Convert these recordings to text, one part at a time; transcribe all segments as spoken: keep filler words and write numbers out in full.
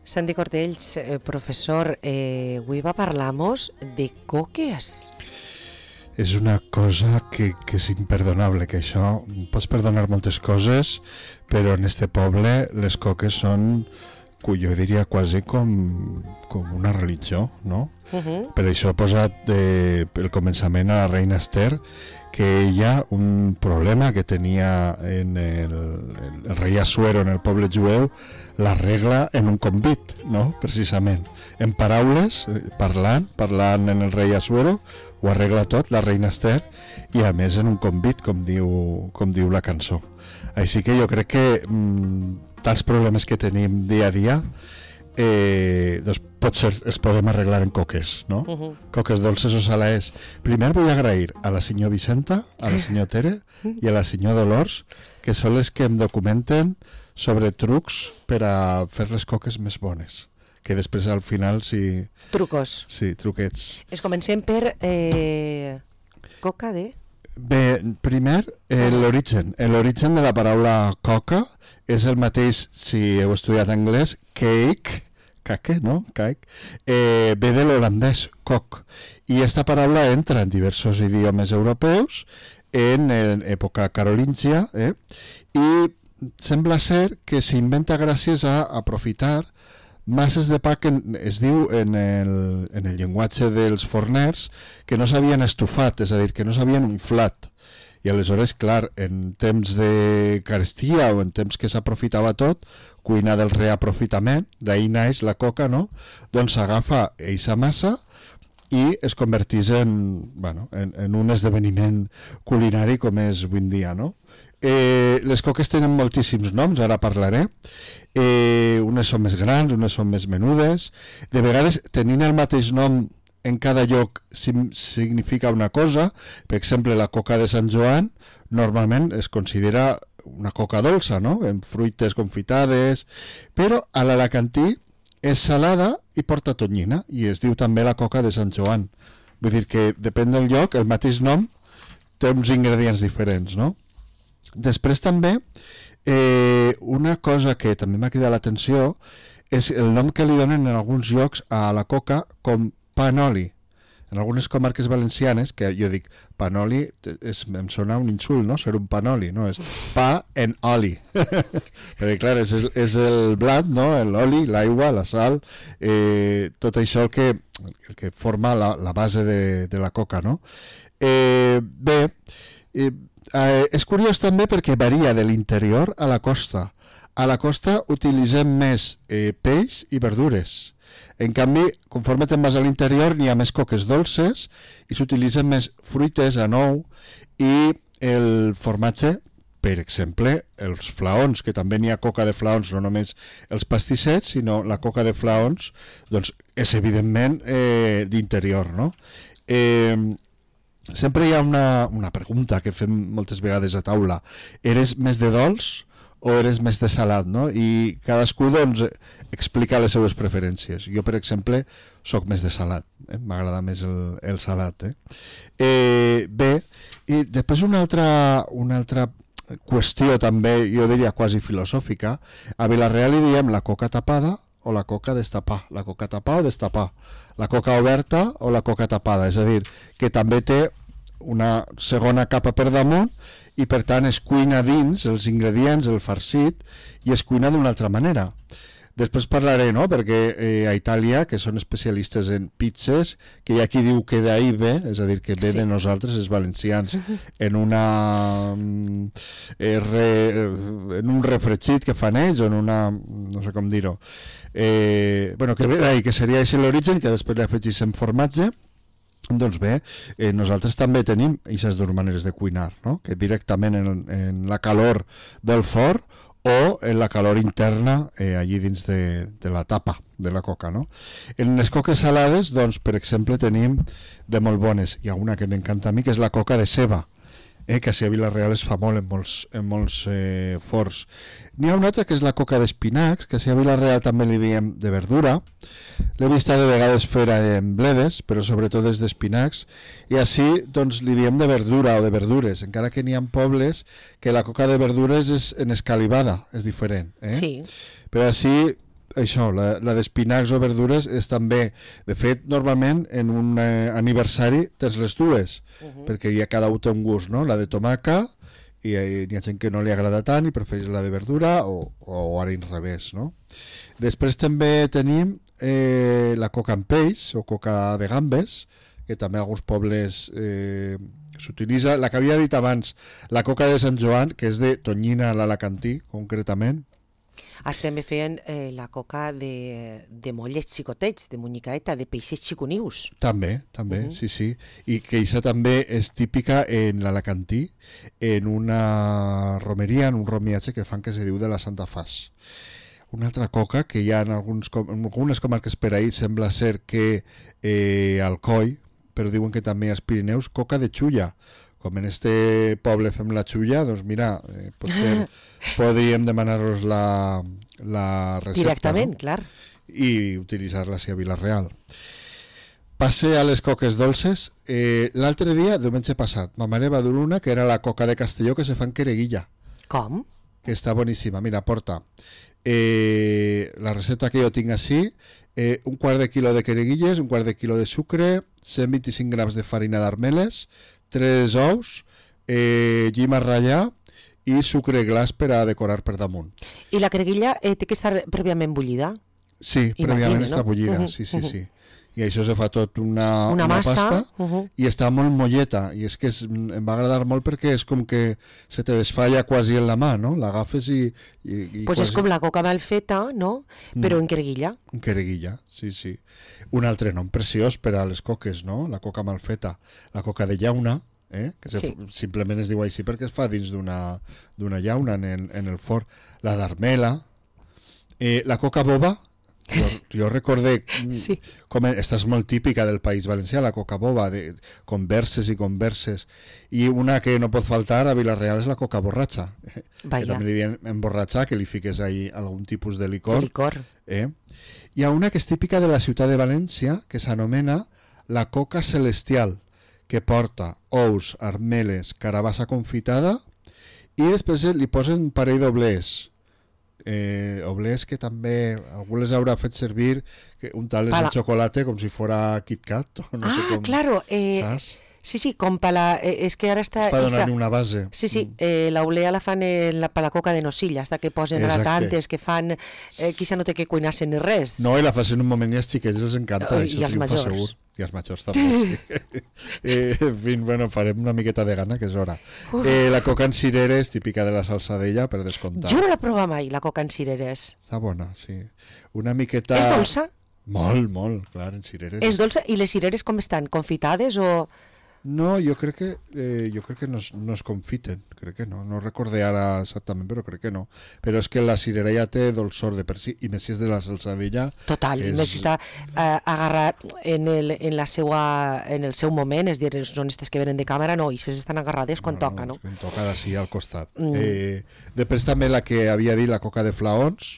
Santi Cortells, eh, professor, eh, avui va parlar-nos de coques. És una cosa que, que és imperdonable, que això, pots perdonar moltes coses, però en este poble les coques són, jo diria quasi com, com una religió, no? Uh-huh. Per això ha posat de, el començament a la reina Esther, que ella, un problema que tenia en el, el rei Assuero en el poble jueu, l'arregla en un convit, no? Precisament. En paraules, parlant, parlant en el rei Assuero, ho arregla tot, la reina Esther, i a més en un convit, com diu, com diu la cançó. Així que jo crec que mmm, tants problemes que tenim dia a dia, eh, doncs potser els podem arreglar en coques, no? Uh-huh. Coques dolces o salades. Primer vull agrair a la senyor Vicenta, a la senyor Tere i a la senyor Dolors, que són les que em documenten sobre trucs per a fer les coques més bones, que després al final sí... Trucos. Sí, truquets. Es comencem per eh, coca de... Bé, primer, eh, l'origen. L'origen de la paraula coca és el mateix, si heu estudiat anglès, cake, cake, no? Cake, eh, ve de l'holandès, coc. I esta paraula entra en diversos idiomes europeus en, en època carolíngia, eh? I sembla ser que s'inventa gràcies a aprofitar masses de pa que es diu en el, en el llenguatge dels forners que no s'havien estufat, és a dir, que no s'havien inflat. I aleshores, clar, en temps de carestia o en temps que s'aprofitava tot, cuina del reaprofitament, d'ahir naix la coca, no? Doncs s'agafa eixa massa i es converteix en, bueno, en, en un esdeveniment culinari com és avui en dia, no? Eh, les coques tenen moltíssims noms, ara parlaré. Eh, unes són més grans, unes són més menudes. De vegades, tenint el mateix nom en cada lloc significa una cosa. Per exemple, la coca de Sant Joan normalment es considera una coca dolça, no? En fruites confitades, però a l'alacantí és salada i porta tonyina, i es diu també la coca de Sant Joan. Vull dir que depèn del lloc, el mateix nom té uns ingredients diferents, no? Després també, eh, una cosa que també m'ha cridat l'atenció és el nom que li donen en alguns llocs a la coca com panoli. En algunes comarques valencianes, que jo dic panoli, és, em sona un insult, no? Ser un panoli, no? És pa en oli. Perquè clar, és, és el blat, no? L'oli, l'aigua, la sal, eh, tot això el que, el que forma la, la base de, de la coca, no? Eh, bé, eh, Eh, és curiós també perquè varia de l'interior a la costa. A la costa utilitzem més eh, peix i verdures. En canvi, conforme te'n vas a l'interior, n'hi ha més coques dolces i s'utilitzen més fruites, anou i el formatge, per exemple, els flaons, que també n'hi ha coca de flaons, no només els pastissets, sinó la coca de flaons, doncs és evidentment eh, d'interior, no? Eh... Sempre hi ha una, una pregunta que fem moltes vegades a taula. Eres més de dolç o eres més de salat, no? I cadascú, doncs, explica les seves preferències. Jo, per exemple, sóc més de salat. Eh? M'agrada més el, el salat. Eh? Eh, bé, i després una altra, una altra qüestió també, jo diria quasi filosòfica. A Vila-real li diem la coca tapada o la coca destapar. La coca tapar o destapar. La coca oberta o la coca tapada. És a dir, que també té una segona capa per damunt i per tant es cuina dins els ingredients, el farcit, i es cuina d'una altra manera. Després parlaré, no?, perquè eh, a Itàlia, que són especialistes en pizzas, que hi ha qui diu que d'ahí ve, és a dir, que ve sí. de nosaltres, els valencians, en una eh, re, en un refregit que fan ells, o en una, no sé com dir-ho, eh, bueno, que ve d'ahí, que seria així l'origen, que després li afegissem formatge. Doncs bé, eh, nosaltres també tenim aquestes dues maneres de cuinar, no? Que directament en, en la calor del forn o en la calor interna eh, allí dins de, de la tapa de la coca, no? En les coques salades, doncs, per exemple, tenim de molt bones. Hi ha una que m'encanta a mi, que és la coca de ceba, eh, que a Vila-real es fa molt en molts, en molts eh, forns. N'hi ha una altra que és la coca d'espinacs, que a Vila-real també li diem de verdura. L'he vist de vegades fer en bledes, però sobretot és d'espinacs, i així doncs li diem de verdura o de verdures, encara que n'hi ha pobles que la coca de verdures és en escalivada, és diferent. Eh? Sí. Però així això, la, la d'espinacs o verdures és també, de fet, normalment en un eh, aniversari tens les dues, uh -huh. perquè ja cada un té un gust, no? La de tomaca, i eh, hi ha gent que no li agrada tant i prefereix la de verdura, o, o ara al revés, no? Després també tenim eh, la coca amb peix, o coca de gambes, que també en alguns pobles eh, s'utilitza. La que havia dit abans, la coca de Sant Joan, que és de tonyina a l'alacantí, concretament. Estem fent eh, la coca de, de mollets xicotets, de munyicaeta, de peixets xiconius. També, també, uh -huh. sí, sí. I que això també és típica en l'alacantí, en una romeria, en un romiatge que fan que se diu de la Santa Fas. Una altra coca que hi ha en, alguns, en algunes comarques per ahir sembla ser que eh, Alcoi, però diuen que també als Pirineus, coca de xulla. Com en este poble fem la xulla, doncs mira, eh, potser podríem demanar-los la, la recepta. Directament, no? clar. I utilitzar-la a Vila-real. Passe a les coques dolces. Eh, L'altre dia, diumenge passat, ma mare va dur una que era la coca de Castelló que se fa en quereguilla. Com? Que està boníssima. Mira, porta eh, la recepta que jo tinc així, eh, un quart de quilo de quereguilles, un quart de quilo de sucre, cent vint-i-cinc grams de farina d'armeles, tres ous, eh, llima ratllà i sucre glaç per a decorar per damunt. I la creguilla eh, té que estar prèviament bullida? Sí, Imagine, prèviament no? està bullida, Uh-huh, sí, sí, uh-huh. sí. I això se fa tot una, Una una massa, pasta uh-huh. i està molt molleta, i és que és, em va agradar molt perquè és com que se te desfalla quasi en la mà, no? L'agafes i... i, i pues quasi... és com la coca mal feta, no? Però Mm. en creguilla. En quereguilla, sí, sí. Un altre nom preciós per a les coques, no? La coca mal feta. La coca de llauna, eh? que se, Sí. simplement es diu així perquè es fa dins d'una d'una llauna en el, en el forn. La d'armela, eh, la coca boba, jo, jo recordé mm, Sí. com esta és molt típica del País Valencià, la coca boba, de converses i converses, i una que no pot faltar a Vila-real és la coca borratxa, Vaya. que també li diuen emborratxar, que li fiques ahí algun tipus de licor. El licor. Eh? Hi ha una que és típica de la ciutat de València, que s'anomena la coca celestial, que porta ous, armeles, carabassa confitada, i després li posen un parell d'oblers. Eh, oblers que també algú les haurà fet servir que untar-les Pala. en xocolate com si fora Kit Kat. O no ah, sé com, claro. Eh, saps? sí, sí, com per la... Eh, és que ara està... És per Isa- donar-li una base. Sí, sí, eh, la olea la fan en la, per la coca de nocilla, hasta que posen Exacte. gratantes, que fan... Eh, quizá no té que cuinar-se ni res. No, i la fas en un moment i als xiquets els encanta. I això als triomfa majors. segur. I als majors també, sí. eh, en fi, bueno, farem una miqueta de gana, que és hora. Eh, la coca en cireres, típica de la salsadella, per descomptar. Jo no la prova mai, la coca en cireres. Està bona, sí. Una miqueta... És dolça? Molt, molt, clar, en cireres. És dolça? I les cireres com estan? Confitades o...? No, jo crec que eh, jo crec que no es, no es confiten, crec que no, no recordé ara exactament, però crec que no. Però és que la cirera ja té dolçor de per si, i més si és de la salsadella. Total, és... més si està eh, agarrat en el, en, la seua, en el seu moment, és a dir, són aquestes que venen de càmera, no, i aquestes estan agarrades quan toca, no? Quan toca d'ací al costat. Mm. Eh, després també la que havia dit, la coca de flaons,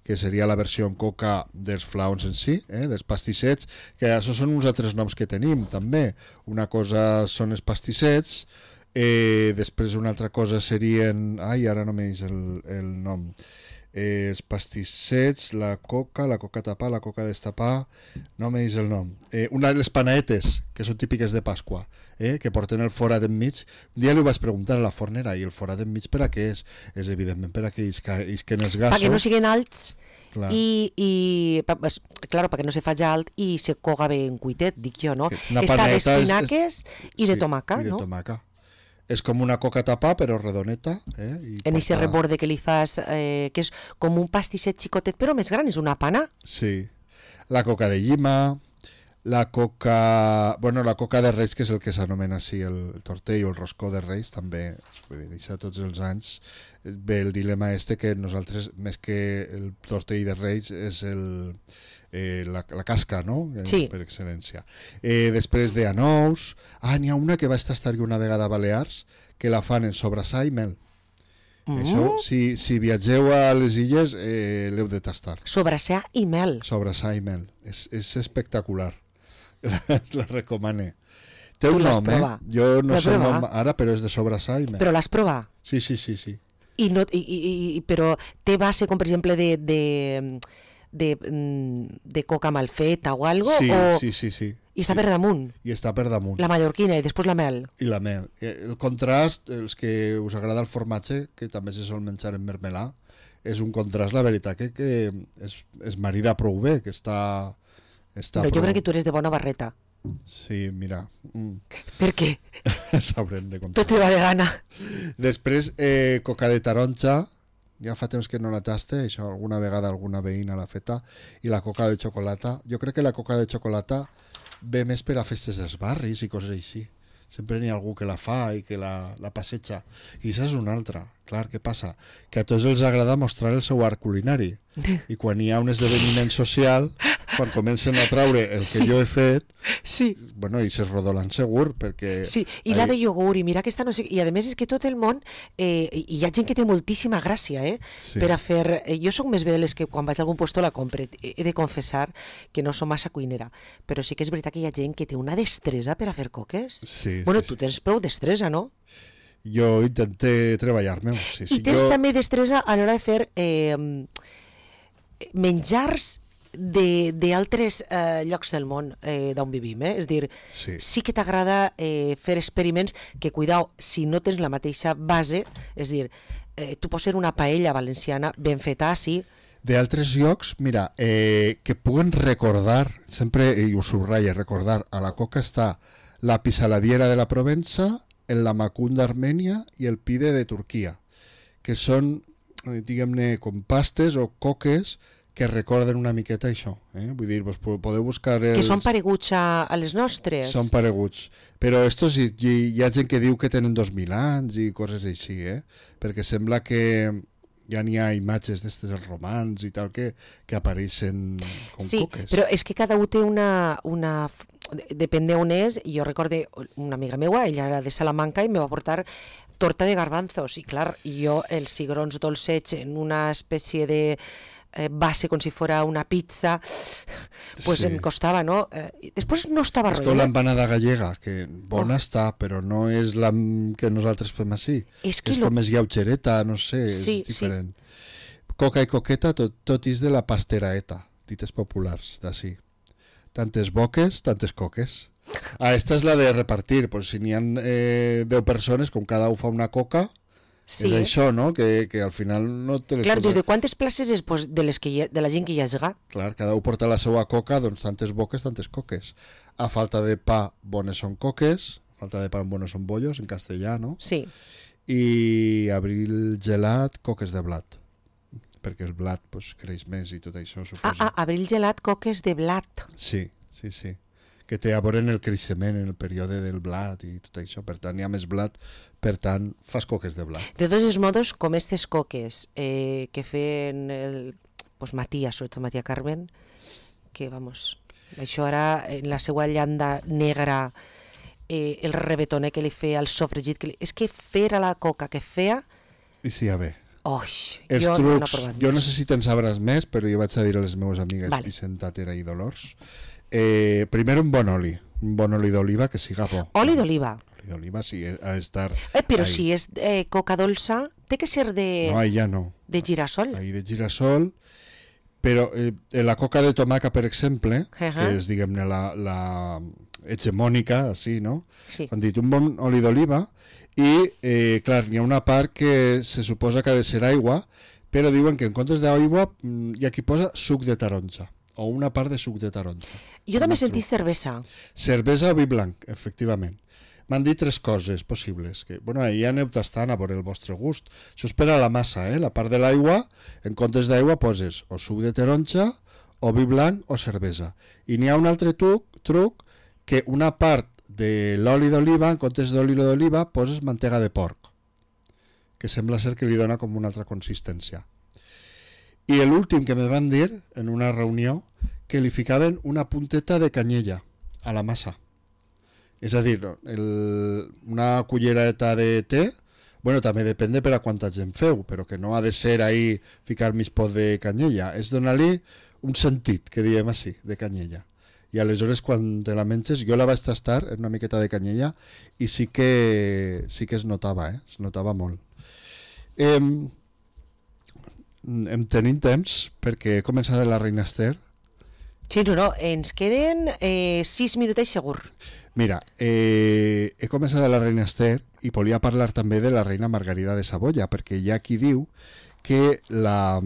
que seria la versió en coca dels flaons en si, eh, dels pastissets, que això són uns altres noms que tenim també. Una cosa són els pastissets, eh, després una altra cosa serien... Ai, ara no m'eix el, el nom. Eh, els pastissets, la coca, la coca tapar, la coca destapar, no m'eix el nom. Eh, una de les panaetes, que són típiques de Pasqua, eh, que porten el forat enmig. Un dia li vaig preguntar a la fornera, i el forat enmig per a què és? És evidentment per a que isquen els gasos. Perquè no siguin alts Clar. i, i pa- pues, claro, perquè no se faci alt i se coga bé en cuitet, dic jo, no? Que una Està paneta és- d'espinaques i de Sí, tomaca, i de no? tomaca. És com una coca tapar, però redoneta. Eh? I En aquest porta- reborde que li fas, eh, que és com un pastisset xicotet, però més gran, és una pana. Sí. La coca de llima, la coca... Bueno, la coca de Reis, que és el que s'anomena així, el, el tortell o el roscó de Reis, també, vull dir, això tots els anys ve el dilema este que nosaltres, més que el tortell de Reis, és el... Eh, la, la casca, no? Eh, Sí. Per excel·lència. Eh, després de anous... Ah, n'hi ha una que va estar una vegada a Balears, que la fan en sobrassà i mel. Mm. Això, si, si viatgeu a les illes, eh, l'heu de tastar. Sobrassà i mel. Sobrassà i mel. És, és espectacular. La, la recomane. Té Tu un l'has nom, eh? provat? Jo no L'has sé el provat? nom ara, però és de sobrassà i mel. Però l'has provat? Sí, sí, sí, sí. I no, i, i, i, però té base com per exemple de, de, de, de coca mal feta o algo, sí, o... sí, sí, sí. I està sí. per damunt. I està per damunt. La mallorquina i després la mel. I la mel. El contrast, els que us agrada el formatge, que també se sol menjar en mermelà, és un contrast, la veritat, que, que es, es marida prou bé, que està... està Però prou... jo crec que tu eres de bona barreta. Sí, mira. Mm. Per què? S'haurem de contar. Tot te va de gana. Després, eh, coca de taronja, ja fa temps que no la taste, això alguna vegada alguna veïna l'ha feta, i la coca de xocolata. Jo crec que la coca de xocolata ve més per a festes dels barris i coses així. Sempre n'hi ha algú que la fa i que la, la passeja. I això és una altra. Clar, què passa? Que a tots els agrada mostrar el seu art culinari. I quan hi ha un esdeveniment social, quan comencen a traure el que Sí. jo he fet, Sí. bueno, i se rodolan segur, perquè... Sí, i la de iogurt, i mira que esta no sé... I a més és que tot el món... Eh, hi ha gent que té moltíssima gràcia, eh? Sí. Per a fer... Eh, jo sóc més bé de les que quan vaig a algun puesto la compre. He de confessar que no som massa cuinera, però sí que és veritat que hi ha gent que té una destresa per a fer coques. Sí, Bueno, sí, tu sí. tens prou destresa, no? Jo intenté treballar-me. Sí, sí, I tens jo... també destresa a l'hora de fer eh, menjars d'altres eh, llocs del món eh, d'on vivim, eh? És a dir, Sí. sí que t'agrada eh, fer experiments que, cuidao, si no tens la mateixa base, és a dir, eh, tu pots fer una paella valenciana ben feta, sí, D'altres llocs, mira, eh, que puguen recordar, sempre, i ho subratlla, recordar, a la coca està la pisaladiera de la Provença, el lamacún d'Armènia i el pide de Turquia, que són, eh, diguem-ne, com pastes o coques que recorden una miqueta això. Eh? Vull dir, vos podeu buscar... Els... que són pareguts a, a les nostres. Són pareguts. Però estos hi, hi, hi ha gent que diu que tenen dos mil anys i coses així, eh? Perquè sembla que ja n'hi ha imatges d'estes els romans i tal que, que apareixen com Sí, coques. però és que cada un té una... una depèn d'on és. Jo recorde una amiga meua, ella era de Salamanca i me va portar torta de garbanzos. I clar, jo els cigrons dolcets en una espècie de eh, base com si fora una pizza, pues Sí. em costava, no? Eh, després no estava És com rotllo. l'empanada gallega, que bona Oh. està, però no és la que nosaltres fem així. És que és lo- com és lleugereta, no sé, Sí, és diferent. Coca i coqueta, tot, tot és de la pasteraeta, dites populars, d'ací. Tantes boques, tantes coques. Ah, esta és la de repartir, pues si n'hi ha eh, deu persones, com cada un fa una coca, Sí. és això, no? Que, que al final no te les Clar, pots- des de quantes places és pues, de, les que hi ha, de la gent que hi ha esgat? Clar, cada un porta la seva coca, doncs tantes boques, tantes coques. A falta de pa, bones són coques, a falta de pan, bones són bollos, en castellà, no? Sí. I abril gelat, coques de blat. Perquè el blat pues, creix més i tot això, Ah, suposo. ah, abril gelat, coques de blat. Sí, sí, sí. Que té a veure en el creixement, en el període del blat i tot això. Per tant, hi ha més blat, per tant, fas coques de blat. De tots els modos, com aquestes coques eh, que feien el, pues, Matías, sobretot Matías Carmen, que, vamos, això ara en la seva llanda negra, eh, el rebetoner que li feia, el sofregit, que li... és que fer a la coca que feia, I sí, a bé. oi, Els jo no n'he trucs, provat jo no més. sé si te'n sabràs més, però jo vaig a dir a les meves amigues Vale. Vicenta, Tera i Dolors. Eh, primer un bon oli, un bon oli d'oliva que siga bo. Oli d'oliva. Oli d'oliva sí, ha d'estar... Eh, però ahí. si és eh, coca dolça, té que ser de, No, ahí ja no. de girasol. Ahí de girasol, però eh, en la coca de tomaca, per exemple, Ajá. que és, diguem-ne, la, la hegemònica, així, no? Sí. Han dit un bon oli d'oliva i, eh, clar, hi ha una part que se suposa que ha de ser aigua, però diuen que en comptes d'aigua mm, hi ha qui posa suc de taronja, o una part de suc de taronja. Jo també he Un sentit truc. cervesa. Cervesa o vi blanc, efectivament. M'han dit tres coses possibles. Que, bueno, ja aneu tastant a veure el vostre gust. Això és per a la massa, eh? La part de l'aigua, en comptes d'aigua poses o suc de taronja, o vi blanc o cervesa. I n'hi ha un altre truc, truc que una part de l'oli d'oliva, en comptes d'oli d'oliva, poses mantega de porc, que sembla ser que li dona com una altra consistència. I l'últim que me van dir, en una reunió, que li ficaven una punteta de canyella a la massa. És a dir, el, una cullereta de te, bueno, també depèn de per a quanta gent feu, però que no ha de ser ahí ficar mig pot de canyella, és donar-li un sentit, que diem així, de canyella. I aleshores quan te la menges, jo la vaig tastar en una miqueta de canyella i sí que sí que es notava, eh? Es notava molt. Eh, em tenim temps perquè he començat de la reina Esther. Sí, no, no, ens queden eh, sis minutets segur. Mira, eh, he començat de la reina Esther i volia parlar també de la reina Margarida de Savoia, perquè hi ha qui diu que la,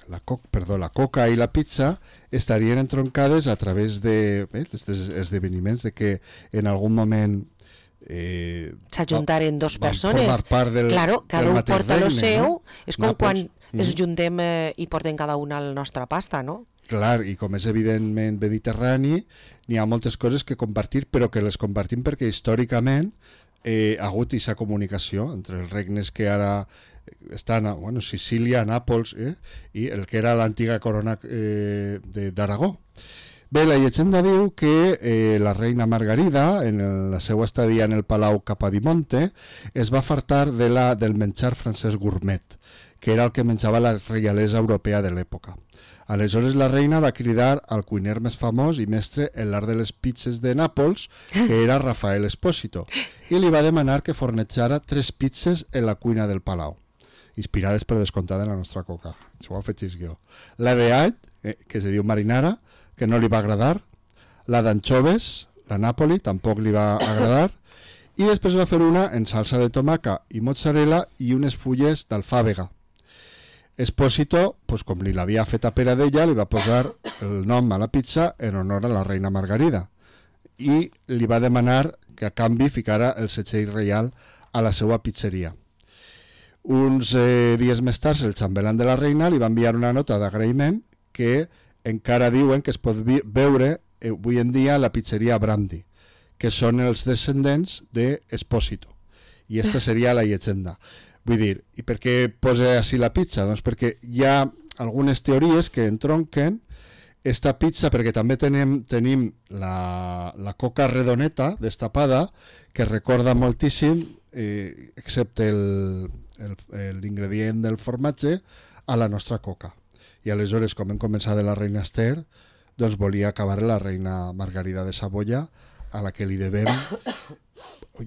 la, coc, perdó, la coca i la pizza estarien entroncades a través de eh, esdeveniments de que en algun moment eh, s'ajuntaren dos van persones. formar part del, claro, cada del un mateix porta regne, lo seu, no? és com Nàpols. quan Mm. ens juntem eh, i portem cada una la nostra pasta, no? Clar, i com és evidentment mediterrani, n'hi ha moltes coses que compartir, però que les compartim perquè històricament eh, ha hagut aquesta comunicació entre els regnes que ara estan a bueno, Sicília, Nàpols, eh, i el que era l'antiga corona eh, d'Aragó. Bé, la llegenda diu que eh, la reina Margarida, en el, la seva estadia en el Palau Capodimonte, es va fartar de la, del menjar francès gourmet, que era el que menjava la reialesa europea de l'època. Aleshores la reina va cridar al cuiner més famós i mestre en l'art de les pizzas de Nàpols, que era Rafael Espósito, i li va demanar que fornejara tres pizzas en la cuina del Palau, inspirades per descomptar de la nostra coca. Això ho afegís jo. La de all, eh, que se diu marinara, que no li va agradar, la d'anchoves, la Napoli, tampoc li va agradar, i després va fer una en salsa de tomaca i mozzarella i unes fulles d'alfàbega. Espósito, pues, com li l'havia fet a pera d'ella, li va posar el nom a la pizza en honor a la reina Margarida i li va demanar que a canvi ficara el setxell reial a la seva pizzeria. Uns eh, dies més tard, el xambelán de la reina li va enviar una nota d'agraïment que encara diuen que es pot veure eh, avui en dia a la pizzeria Brandy, que són els descendents d'Espósito. I aquesta seria la llegenda. Vull dir, i per què posa així la pizza? Doncs perquè hi ha algunes teories que entronquen esta pizza, perquè també tenim, tenim la, la coca redoneta destapada, que recorda moltíssim, eh, excepte l'ingredient del formatge, a la nostra coca. I aleshores, com hem començat de la reina Esther, doncs volia acabar la reina Margarida de Savoia, a la que li devem,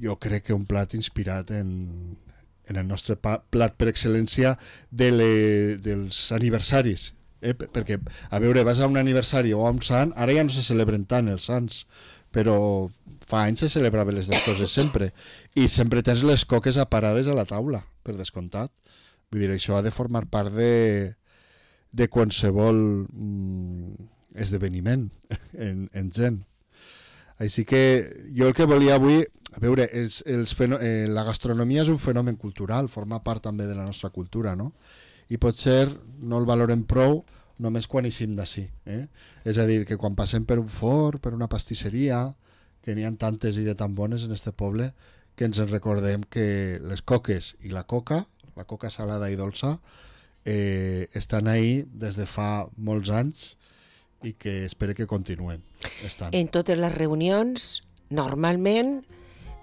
jo crec que un plat inspirat en... en el nostre plat per excel·lència de le, dels aniversaris. Eh? Perquè, a veure, vas a un aniversari o a un sant, ara ja no se celebren tant els sants, però fa anys se celebraven les dues coses sempre. I sempre tens les coques aparades a la taula, per descomptat. Vull dir, això ha de formar part de, de qualsevol mm, esdeveniment en, en gent. Així que jo el que volia avui... A veure, els, els feno... eh, la gastronomia és un fenomen cultural, forma part també de la nostra cultura, no? I potser no el valorem prou només quan eixim d'ací. Eh? És a dir, que quan passem per un forn, per una pastisseria, que n'hi ha tantes i de tan bones en este poble, que ens en recordem que les coques i la coca, la coca salada i dolça, eh, estan ahí des de fa molts anys i que espero que continuen estant. En totes les reunions, normalment,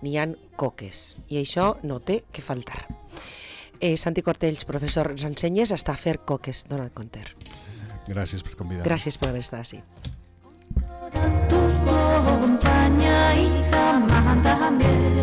n'hi ha coques, i això no té que faltar. Eh, Santi Cortells, professor, ens ensenyes a estar a fer coques, dona't compte. Gràcies per convidar-me. Gràcies per haver estat així. Tu compañía y jamás también.